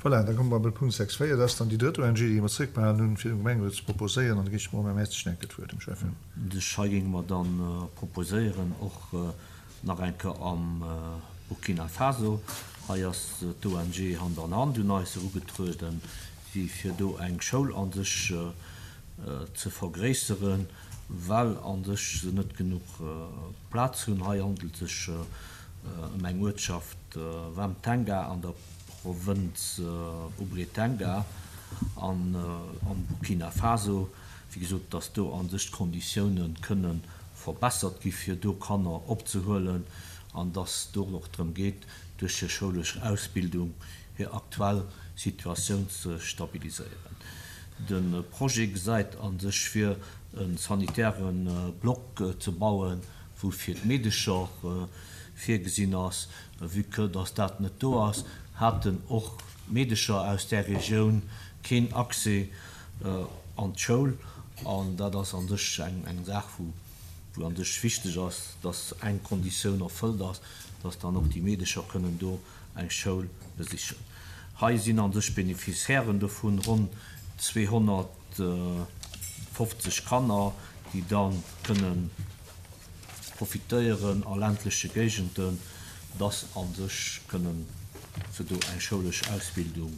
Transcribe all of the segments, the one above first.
Voilà, da komme mer bei Punkt 6, 4. Dat ass dann déi drëtt ONG, déi mer zréckbehalen hunn, fir dem Gemengerot ze proposéieren. An da ginn ech dem Romain Mertzig enke d'Wuert, dem Schäffen. Dech hei géinge mer dann proposéieren, och nach eng Kéier am Burkina Faso. Hei ass d'ONG Hand an Hand un eis erugetrueden, déi fir do eng Schoul a sech ze vergréisseren, well a sech se net genuch Plaz hunn. Hei handelt sech ëm eng Uertschaft Wamtenga an der Provënz Oubritenga an am Burkina Faso. Wéi gesot, dass do a sech d'Konditioune kënne verbessert gi fir do Kanner opzehuelen an dass do och drëm geet, duerch hir schoulesch Ausbildung hir aktuell Situatioun ze stabiliséieren. De Projet gesäit a sech vir, e sanitäre Block ze bauen, wou fir d'Meedecher virgesinn ass. Vue que dass dat net do ass, haten och d'Meedecher aus där Regioun keen Accès an d'Schoul. An dat ass a sech eng Saach, wou a sech wichteg ass, dass eng Konditioun erfëllt ass, dass dann och déi Meedecher kënnen do eng Schoul besichen. Hei sinn a sech Beneficiairen dovun ronn 250 Kanner, déi da kënnen profitéieren a ländleche Géigenden, dass a sech kënnen se do eng schoulesch Ausbildung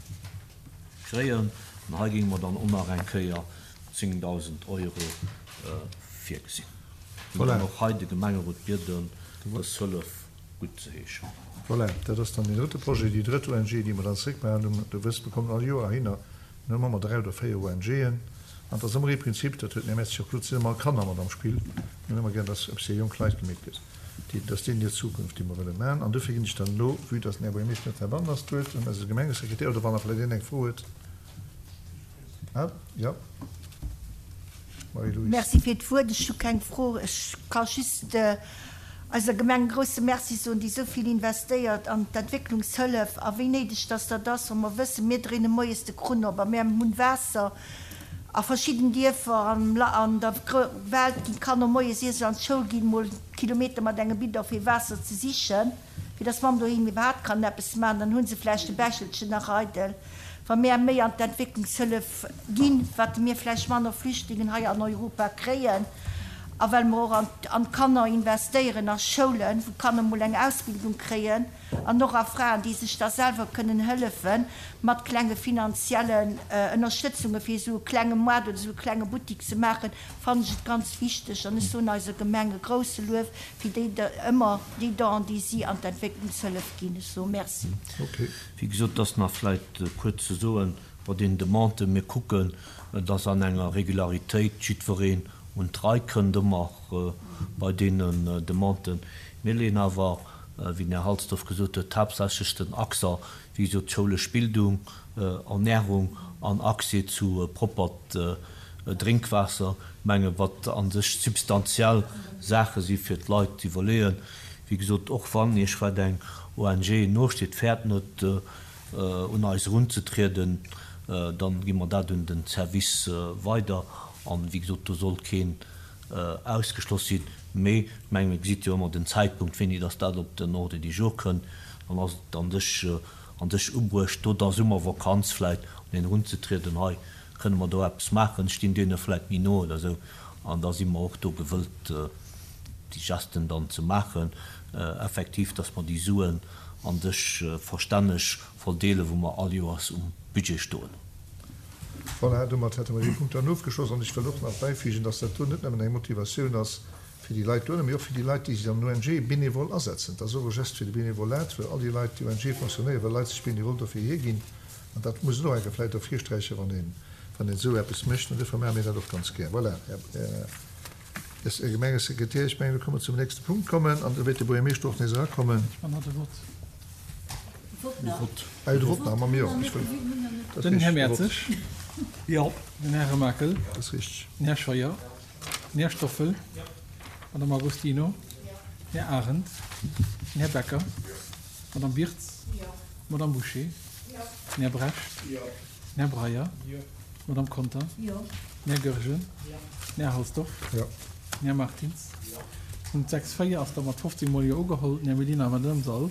kréien. An hei géinge mer dann och nach eng Kéier 10.000 Euro virgesinn. Voilà. An och hei de Gemengerot bieden, dës Hëllef guttzeheeschen. Voilà, dat ass dann deen drëtte Projet, déi drëtt ONG, déi mer dann zréckbehalen hunn. Du wësst, mir kommen all Joer heihinner, mir hunn ëmmer dräi oder véier ONGen. An et ass ëmmer ee Prinzip, dat huet den Här Mertz jo och gesot, et sinn ëmmer Kanner mat am Spill. Mir hunn ëmmer gär, dass eppes fir jonk Leit gemeet gëtt. Déi, dat ass deenen hir Zukunft, déi mer wëlle maachen. An dofir ginn ech dann elo, vue dass den Här Buergermeeschter net heibannen ass, d'Wuert un eise Gemengesekretär, oder wann nach vläicht een eng Fro huet. Ah, jo. Marie-Louise. Merci fir d'Wuert. Ech hu keng Fro. Ech ka just eiser Gemeng e grouse Merci soen, déi esou vill investéiert an d'Entwécklungshëllef. A wéi néideg dass dat ass, wa mer wëssen, mir dréine moies de Krunn op a mir hunn Waasser a verschidden Dierfer an der Welt ginn d'Kanner moies, ier se an d'Schoul ginn, mol Kilometer mat engem Bidon fir Waasser ze sichen, fir dass d'Mamm doheem iwwerhaapt kann eppes maachen. Dann hu se vläicht e Bechelchen nach eidel. Wa mär méi an d'Entwécklungshëllef ginn, wat mir vläicht manner Flüchtlingen hei an Europa kréien, a well mer och an d'Kanner investéieren, a Schoulen, wou d'Kanner mol eng Ausbildung kréien, an och a Fraen, déi sech da selwer kënnen hëllefe mat klenge finanziellen Ënnerstëtzunge fir esou e klenge Moart oder esou e klenge Buttik ze maachen, fannen ech et ganz wichteg. An ech soen eiser Gemeng e grouse Luef fir déi ëmmer déi Don, déi si an d'Entwécklungshëllef ginn. Ech soe Merci. Wéi gesot, et ass nach vläicht kuerz ze soen, bei deenen Demanden, mir kucken, dass an enger Regularitéit jiddwereen un d'Rei kënnt, ëmmer bei deenen Demanden. Mir leeën awer, wéi den Här Halsdorf gesot huet, haaptsächlech den Accent, wéi gesot, schoulesch Bildung, Ernährung an Accès zu proppert Drénkwaasser, menge wat a sech substantiell Saache si fir d'Leit ze iwwerleeën. Wéi gesot, och wann Iech wat eng ONG nosteet, fäert net un eis erunzetrieden, dann gi mer dat un den Service weider. An, wéi gesot, do soll keen ausgeschloss sinn. Mee ech mengen, mir gesitt jo ëmmer den Zäitpunkt, wéini dass dat op den Ordre du jour kënnt. Dann ass et an sech an sech ubruecht, do der Summervakanz vläicht un een erunzetrieden, hei kënne mer do eppes maachen, stinn deene vläicht méi no oder esou. An da si mer och do gewëllt, déi Gesten dann ze maachen, effektiv, dass mer déi Suen a sech verstänneg verdeelen, wou mer all Joers um Budget stoen hunn. Voilà, domat hätte mer dee Punkt dann ofgeschloss. An ech wëll och nach bäifügen, dass dat do net nëmmen eng Motivatioun ass fir déi Leit dohinner, mee och fir déi Leit, déi sech an den ONGe bénévol asetzen. Et ass och e Geste fir de Bénévolat, well all déi Leit, déi ONGe fonctionnéieren, well Leit sech bénévol dofir hierginn. An dat muss een och eng Kéier vläicht ervirsträichen, wann een, wann een esou eppes mécht. An duerfir maache mir dat och ganz gär. Voilà, Här Gemengesekretär, ech mengen, da kënne mer zum nächste Punkt kommen an da wäert de Buergermeeschter och nees erakommen. Ah jo, de Vott nach, ma mir och. Ech wëll, dat ass Den Här richtig, de Vott. Mertzig. Jo. Den Här Remakel. Dat ass richtig. Den Här Scheuer. Den Här Stoffel. D'Madame Agostino. Den Här Arendt. Den Här Becker. D'Madame Wirtz. D'Madame Bouché. Den Här Brecht. Den Här Breyer. D'Madame Conter. Den Här Goergen. Den Här Halsdorf. Den Här Martins. Punkt 6, 4 ass da mat 15 mol Jo ugeholl. Den Här Mellina Madame Sahl.